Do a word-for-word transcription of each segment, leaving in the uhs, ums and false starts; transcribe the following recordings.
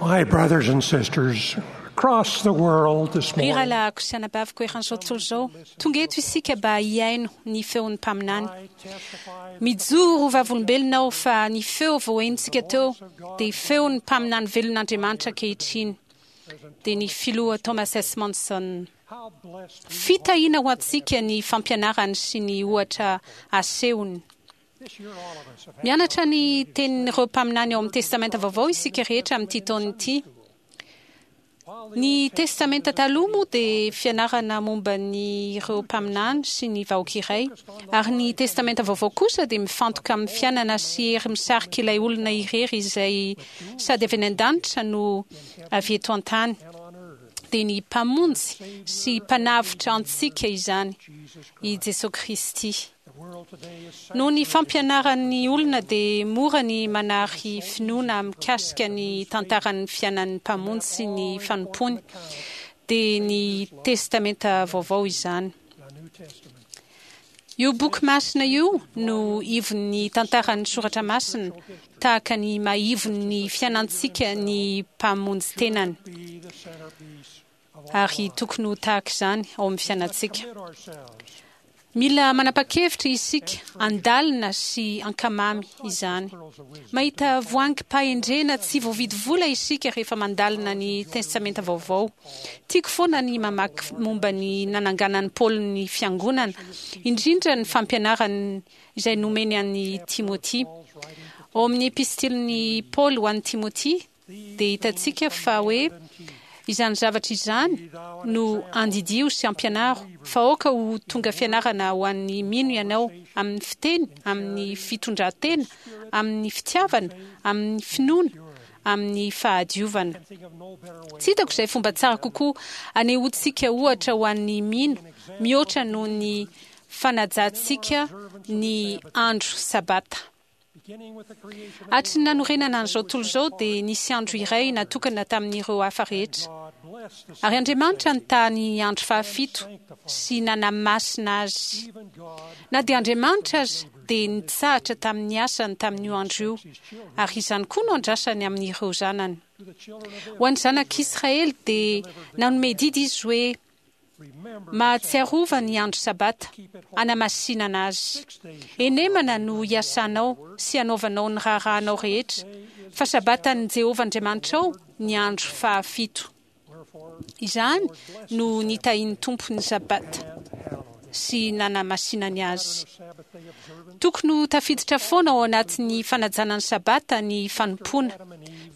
My brothers and sisters across the world this Ry morning, rahalahiko sy anabaviko eran'izao tontolo izao, tonga eto isika mba hihaino ny feon'ny mpaminany. I testify Mijoro ho vavolombelona aho fa ny feo voahenontsika teo dia feon'ny mpaminany velon'Andriamanitra ankehitriny, dia ny filoha Thomas S. Monson. how blessed we Fitahiana ho antsika ny fampianarany sy ny ohatra asehony. this year all of us have had Mianatra ny tenin'ireo mpaminany ao amin'ny Testamenta Vaovao isika rehetra amin'ity taona ity. Ny Testamenta Taloha moa dia fianarana momba ny ireo mpaminany sy ny vahoaka iray, ary ny Testamenta Vaovao kosa dia mifantoka amin'ny fiainana sy hery misarika ilay olona irery izay sady avy any an-danitra no avy eto an-tany. and on earth. Dia ny mpamonjy sy mpanavotra antsika izany, i Jesosy Kristy. The world today is Noho ny fampianaran'ny olona dia mora ny manary finoana mikasika ny tantaran'ny fiainan'ny mpamonjy sy ny fanompoany, dia ny Testamenta Vaovao izany. the New Testament. Io boky masina io no ivon'ny tantaran'ny soratra masina, tahaka ny maha-ivon'ny fiainantsika ny mpamonjy tenany, Be the centerpiece of all. ary tokony ho tahaka izany ao amin'ny fiainantsika. Commit ourselves Mila manapa-kevitra isika andalina sy ankamamy izany. Mahita voangim-pahendrena tsy voavidy vola isika rehefa mandalina ny Testamenta Vaovao. Tiako foana ny mamaky momba ny nananganan'i Paoly ny fiangonana, indrindra ny fampianarany izay nomeny an'i Timoty. Ao amin'ny epistilin'i Paoly ho an'i Timoty dia hitantsika fa hoe izany zavatra izany no andidio sy ampianaro, fa aoka ho tonga fianarana ho an'ny mino ianao amin'ny fiteny, amin'ny fitondran-tena, amin'ny fitiavana, amin'ny finoana, amin'ny fahadiovana. and think of no better way Tsy hitako izay fomba tsara kokoa anehoantsika ohatra ho an'ny mino mihoatra noho ny fanajantsika ny andro sabata. beginning with the creation of Hatry ny nanorenana an'izao tontolo izao dia nisy andro iray natokana tamin'ireo hafa rehetra. God blessed the Ary Andriamanitra nitahy ny andro fahafito sy nanamasina azy. even God Na dia Andriamanitra aza dia nitsahatra tamin'ny asany tamin'io andro io, ary izany koa no andrasany amin'ireo zanany. to the children of Ho an'ny zanak'Israely dia nanome didy izy hoe remember mahatsiarova ny andro sabata anamasinana azy. six days Enemana no hiasanao sy hanaovanao ny raharahanao rehetra, fa sabatan'i Jehovah Andriamanitrao ny andro fahafito. wherefore Izany no nitahian'ny Tompo ny sabata and hallowed it. sy nanamasinany azy. Of Sabbath day observance Tokony ho tafiditra foana ao anatin'ny fanajana ny sabata ny fanompoana.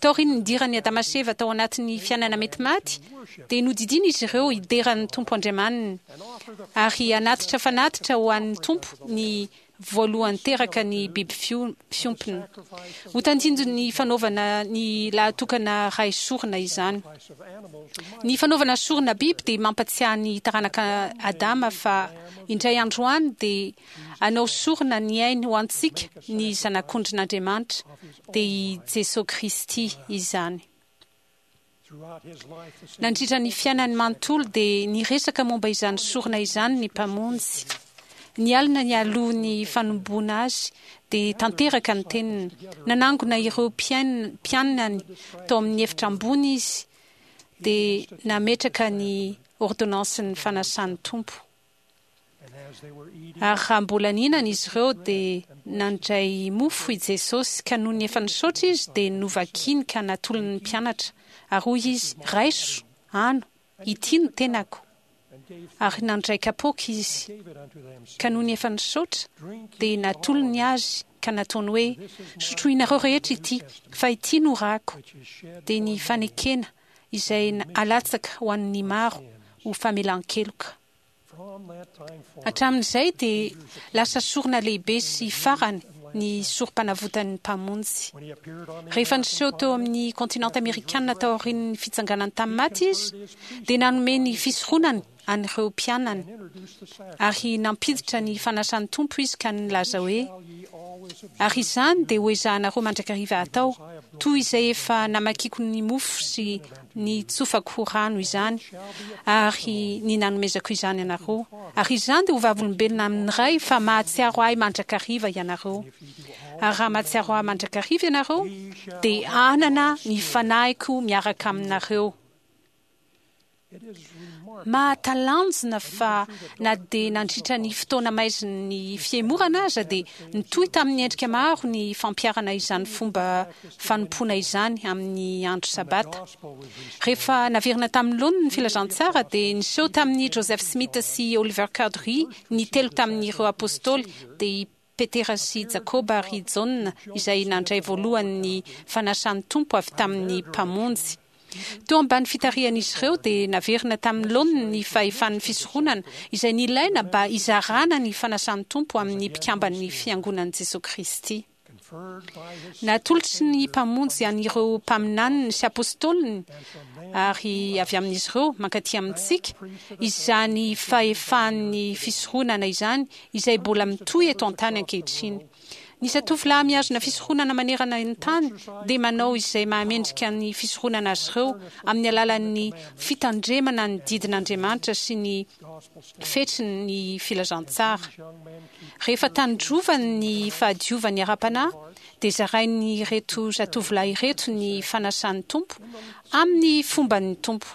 Taorian'ny nidiran'i Adama sy Eva tao anatin'ny fiainana mety maty, dia nodidiana izy ireo hideran'ny Tompo Andriamaniny and offer the ary hanatitra fanatitra ho an'ny Tompo ny voalohany teraka ny biby fio- fiompina. sacrifice Ho tandindon'ny fanaovana ny lahatokana ray sorona izany. of animals remind Ny fanaovana sorona biby dia mampatsiahy ny taranaka Adama fa indray andro any dia hanao sorona ny ainy ho antsika ny zanak'ondrin'Andriamanitra, dia i Jesosy Kristy izany. throughout his life the same Nandritra ny fiainany manontolo dia niresaka momba izany sorona izany ny mpamonjy. Ny alina nialoha ny fanomboana azy dia tanteraka ny teniny. Nanangona ireo mpiain- mpianany tao amin'ny efitra ambony izy dia nametraka ny ordonnansin'ny fanasan'ny Tompo. and as they were eating Ary raha mbola nihinana izy ireo dia nandray mofo i Jesosy ka nony efa nisaotra izy dia novakiny ka natolony ny mpianatra. Ary hoy izy, raiso, ano, ity no tenako. and gave Ary nandray kapoaka izy gave it unto them ka nony efa nisaotra drink dia ye natolony all azy ka nataony hoe sotroinareo rehetra ity fa ity no rako which is shed dia ny fanekena izay alatsaka ho an'ny maro ho famelan-keloka. from that time forward Hatramin'izay dia lasa sorona lehibe sy farany ny sorom-panavotan'ny mpamonjy. when he appeared on the Rehefa American niseho teo amin'ny kontinanta amerikanina taorian'ny fitsanganany tamin'ny maty izy, dia nanome ny fisoronany an'ireo mpianany and introduced the sacrament ary nampiditra ny fanasan'ny Tompo izy ka nilaza hoe shall ye always observe ary izany dia ho ezahanareo mandrakariva atao, toy izay efa namakiko ny mofo sy ny tsofako ho rano izany, ary ny nanomezako izany anareo. Ary izany dia ho vavolombelona amin'ny Ray fa mahatsiaro ahy mandrakariva ianareo. Ary raha mahatsiaro ahy mandrakariva ianareo, dia hanana ny fanahiko miaraka aminareo. Mahatalanjona fa na dia nandritra ny fotoana maizin'ny fihemorana aza dia nitohy tamin'ny endrika maro ny fampiharana izany fomba fanompoana izany amin'ny andro sabata. Rehefa naverina tamin'ny laoniny ny filazantsara dia niseho tamin'ny Joseph Smith sy Oliver Cowdery ny telo tamin'ireo apôstôly, dia i Petera sy Jakoba ary Jaona, izay nandray voalohany ny fanasan'ny Tompo avy tamin'ny Mpamonjy. Teo ambany fitarihan'izy ireo dia naverina tamin'ny laoniny ny fahefan'ny fisoronana izay nilaina mba hizarana ny fanasan'ny Tompo amin'ny mpikamban'ny Fiangonan'i Jesoa Kristy. Natolotry ny Mpamonjy an'ireo mpaminaniny sy apôstôliny ary avy amin'izy ireo mankaty amintsika izany fahefan'ny fisoronana izany izay mbola mitohy eto an-tany ankehitriny. Ny zatovolahy mihazona fisoronana manerana ny tany dia manao izay mahamendrika ny fisoronana azy ireo amin'ny alalan'ny fitandremana ny didin'Andriamanitra sy ny fetrin'ny filazantsara. Rehefa tandrovany ny fahadiovany ara-panahy dia zarain'ireto zatovolahy ireto ny fanasan'ny Tompo amin'ny fomban'ny Tompo,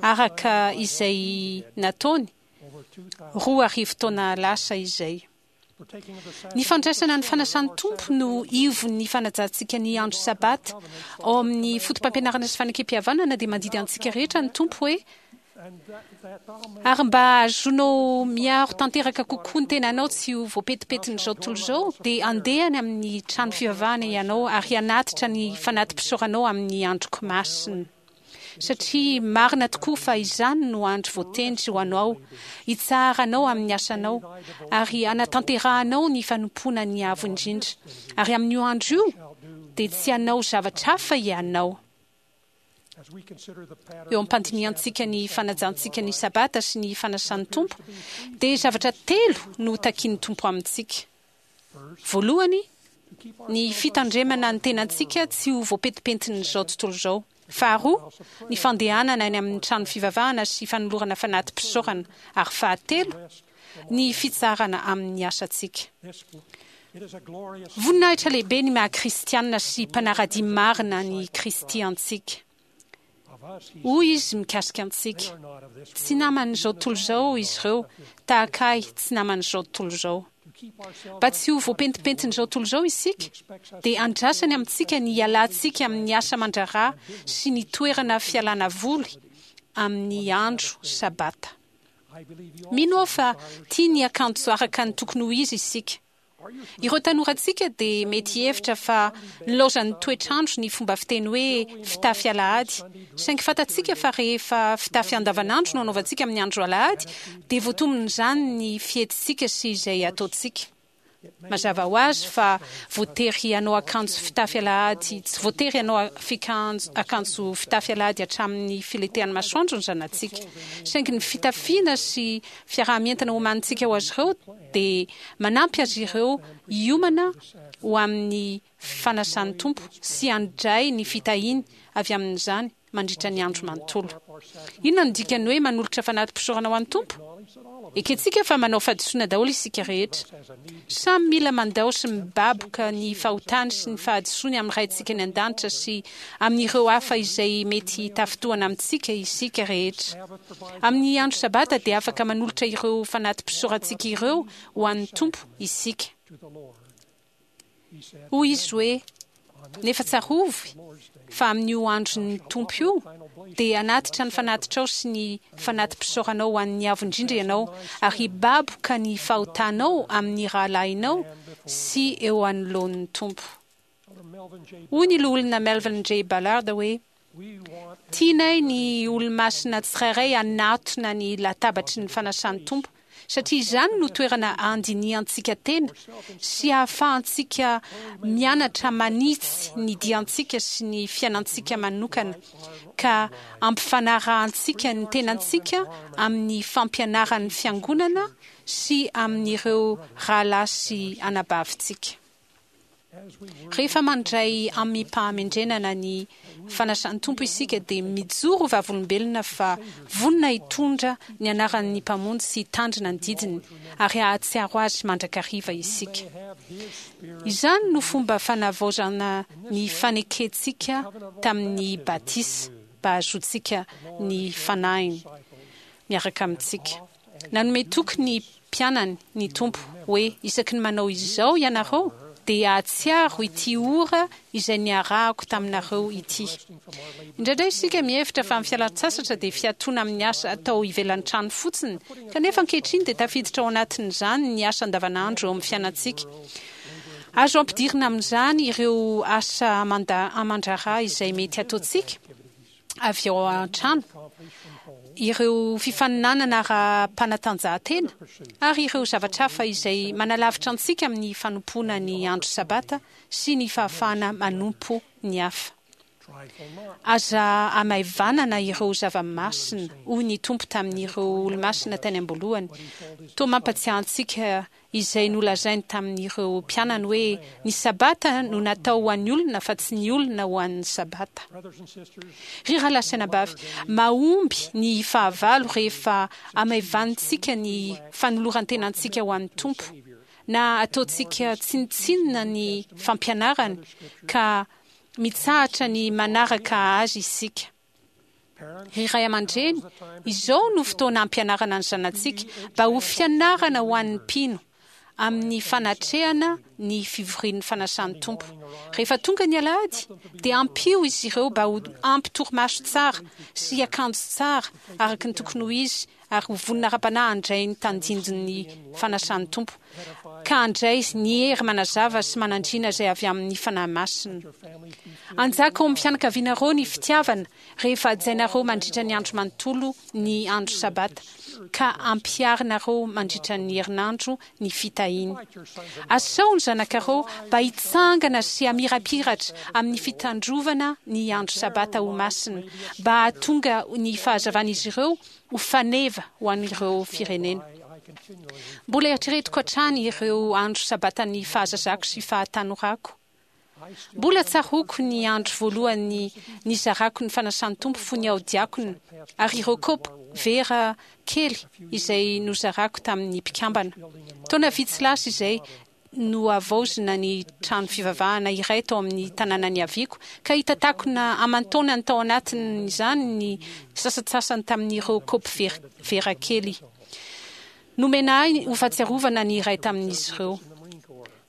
araka izay nataony roa arivo taona lasa izay. Ny fandraisana ny fanasan'ny Tompo no ivon'ny fanajantsika ny andro sabata. Ao amin'ny foto-pampianarana sy fanekem-pihavanana dia mandidy antsika rehetra ny Tompo hoe: ary mba hahazoanao miaro tanteraka kokoa ny tenanao tsy ho voapetipetin'izao tontolo izao, dia handeha any amin'ny trano fivavahana ianao ary hanatitra ny fanati-pisaoranao amin'ny androko masina. Satria marina tokoa fa izany no andro voatendry ho anao, hitsaharanao amin'ny asanao, ary hanatanterahanao ny fanompoana ny Avo Indrindra. Ary amin'io andro io dia tsy hanao zavatra hafa ianao. Eo am-pandinihantsika ny fanajantsika ny Sabata sy ny fanasan'ny Tompo, dia zavatra telo no takian'ny Tompo amintsika. Voalohany, ny fitandremana ny tenantsika tsy ho voapetipentin'izao tontolo izao. Faharoa, ny fandehanana any amin'ny trano fivavahana sy fanolorana fanati-pisaorana. Ary fahatelo, ny fitsarana amin'ny asantsika. Voninahitra lehibe ny maha kristianina sy mpanara-dia marina ny Kristy antsika. Hoy izy mikasika antsika: tsy naman'izao tontolo izao izy ireo, tahaka ahy tsy naman'izao tontolo izao. Mba tsy ho voapentipentin'izao tontolo izao isika, dia andrasany amintsika ny hialantsika amin'ny asa aman-draharaha sy ny toerana fialana voly amin'ny andro sabata. Mino aho fa tia ny akanjo araka ny tokony ho izy isika. Ireo tanorantsika dia mety hihevitra fa nilaozan'ny toetr'andro ny fomba fiteny hoe fitafy alahady. Saingy fantatsika fa rehefa fitafy andavanandro no anaovantsika amin'ny andro alahady, dia voatombon'izany ny fihetsitsika sy izay ataontsika. Mazava ho azy fa voatery hanao akanjo fitafy alahady, tsy voatery hanao fikanjo, akanjo fitafy alahady hatramin'ny filentehan'ny masoandro ny zanatsika. Saingy ny fitafiana sy fiaraha-mientana omanintsika ho azy ireo dia manampy azy ireo hiomana ho amin'ny fanasan'ny Tompo sy handray ny fitahiany avy amin'izany mandritra ny andro manontolo. Inona no dikan'ny hoe manolotra fanati-pisaorana ho an'ny Tompo? Ekentsika fa manao fahadisoana daholo isika rehetra. Samy mila mandao sy mibaboka ny fahotany sy ny fahadisoany amin'ny Raintsika any an-danitra sy amin'ireo hafa izay mety hitafintohana amintsika isika rehetra. Amin'ny andro Sabata dia afaka manolotra ireo fanati-pisaorantsika ireo ho an'ny Tompo isika. Hoy izy hoe: nefa tsarovy fa amin'io andron'ny Tompo io dia hanatitra ny fanatitrao sy ny fanati-pisaoranao ho an'ny Avo Indrindra ianao, ary hibaboka ny fahotanao amin'ny rahalahinao sy eo anoloan'ny Tompo. Hoy ny loholona Melvin J. Ballard hoe: tianay ny olomasina tsirairay hanatona ny latabatry ny fanasan'ny Tompo, satria izany no toerana handinihantsika tena sy hahafahantsika mianatra manitsy ny diantsika sy ny fiainantsika manokana, ka ampifanarahantsika ny tenantsika amin'ny fampianaran'ny Fiangonana sy amin'ireo rahalahy sy anabavintsika. Rehefa mandray amim-pahamendrenana ny fanasan'ny Tompo isika dia mijoro ho vavolombelona fa vonona hitondra ny anaran'ny Mpamonjy sy hitandrina ny didiny ary hahatsiaro Azy mandrakariva isika. Izany no fomba fanavaozana ny fanekentsika tamin'ny batisa mba hahazoantsika ny Fanahiny miaraka amintsika. Nanome toky ny mpianany ny Tompo hoe isaky ny manao izao ianareo dia hahatsiaro ity ora izay niarahako taminareo ity. Indraindray isika mihevitra fa ny fialan-tsasatra dia fiatoana amin'ny asa atao ivelan'ny trano fotsiny, kanefa ankehitriny dia tafiditra ao anatin'izany ny asa andavanandro eo amin'ny fiainantsika. Azo ampidirina amin'izany ireo asa aman-draharaha izay mety hataontsika avy ao an-trano, ireo fifaninanana ara-panatanjahantena ary ireo zavatra hafa izay manalavitra antsika amin'ny fanompoana ny andro Sabata sy ny fahafahana manompo ny hafa. Aza hamaivanana ireo zava-masina, hoy ny Tompo tamin'ireo olomasina tany am-boalohany. Toa mampatsiahy antsika izay nolazainy tamin'ireo mpianany hoe ny Sabata no natao ho an'ny olona fa tsy ny olona ho an'ny Sabata. Ry rahalahy sy anabavy, mahomby ny fahavalo rehefa hamaivanintsika ny fanoloran-tenantsika ho an'ny Tompo, na ataontsika tsinontsinona ny fampianarany ka mitsahatra ny manaraka azy isika. Ry ray aman-dreny, izao no fotoana hampianarana ny zanatsika mba ho fianarana ho an'ny mpino amin'ny fanatrehana ny fivorian'ny fanasan'ny Tompo. Rehefa tonga ny alahady dia ampio izy ireo mba ho ampy torimaso tsara sy akanjo tsara araka ny tokony ho izy ary ho vonona ara-panahy handray ny tandindon'ny fanasan'ny Tompo, ka handray ny hery manazava sy manandriana izay avy amin'ny Fanahy Masina. Hanjaka ao amin'ny fianakavianareo ny fitiavana rehefa hajainareo mandritra ny andro manontolo ny andro Sabata, ka ampiharinareo mandritra ny herinandro ny fitahiany. Asao ny zanakareo mba hitsangana sy hamirapiratra amin'ny fitandrovana ny andro Sabata ho masina, mba hahatonga ny fahazavan'izy ireo ho faneva ho an'ireo firenena. Mbola eritreretiko hatrany ireo andro Sabatan'ny fahazazako sy fahatanorako. Mbola tsaroako ny andro voalohany nizarako ny fanasan'ny Tompo fony aho diakona, ary ireo kaopy vera kely izay nozarako tamin'ny mpikambana. Taona vitsy lasa izay, nohavaozina ny trano fivavahana iray tao amin'ny tanàna niaviako, ka hita takona aman-taonany tao anatin'izany ny sasantsasany tamin'ireo kaopy vera kely. Nomena ahy ho fahatsiarovana ny iray tamin'izy ireo.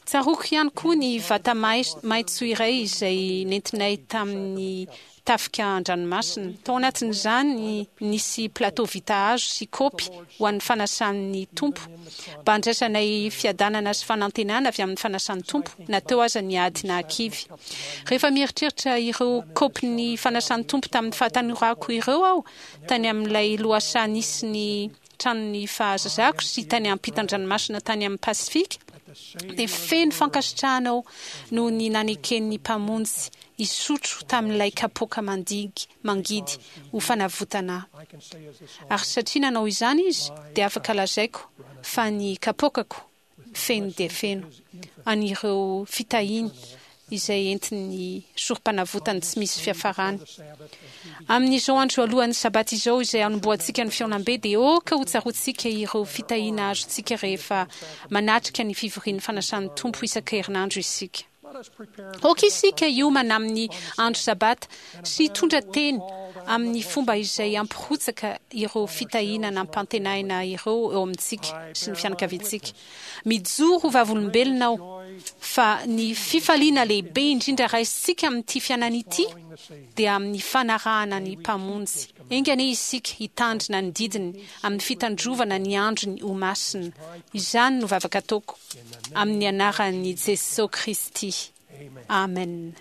Tsaroako ihany koa ny vata maitso iray izay nentinay tamin'ny tafika an-dranomasina. Tao anatin'izany nisy plateau vita hazo sy kaopy ho an'ny fanasan'ny Tompo, mba handraisanay fiadanana sy fanantenana avy amin'ny fanasan'ny Tompo, na teo aza ny ady nahakivy. Rehefa mieritreritra ireo kaopin'ny fanasan'ny Tompo tamin'ny fahatanorako ireo aho, tany amin'ilay lohasaha nisy ny tranon'ny fahazazako sy tany ampitan-dranomasina tany amin'ny Pasifika, dia feno fankasitrahana aho noho ny naneken'ny Mpamonjy hisotro tamin'ilay kapoaka mandigy mangidy ho fanavotana ahy. Ary satria nanao izany izy, dia afaka lazaiko fa ny kapoakako feno dia feno an'ireo fitahiany izay entin'ny sorom-panavotany tsy misy fiafarany. Amin'izao andro alohan'ny Sabata izao izay hanombohantsika ny fihaonambe, dia aoka hotsaroantsika ireo fitahiana azontsika rehefa manatrika ny fivorian'ny fanasan'ny Tompo isan-kerinandro isika. Aoka isika hiomana amin'ny andro Sabata sy hitondra teny amin'ny fomba izay hampirotsaka ireo fitahiana nampantenaina ireo eo amintsika sy ny fianakaviantsika. Mijoro ho vavolombelona aho fa ny fifaliana lehibe indrindra raisintsika amin'ity fiainana ity dia amin'ny fanarahana ny Mpamonjy. Enga anie isika hitandrina ny didiny amin'ny fitandrovana ny androny ho masina. Izany no vavaka ataoko amin'ny anaran'i Jesoa Kristy. Amen.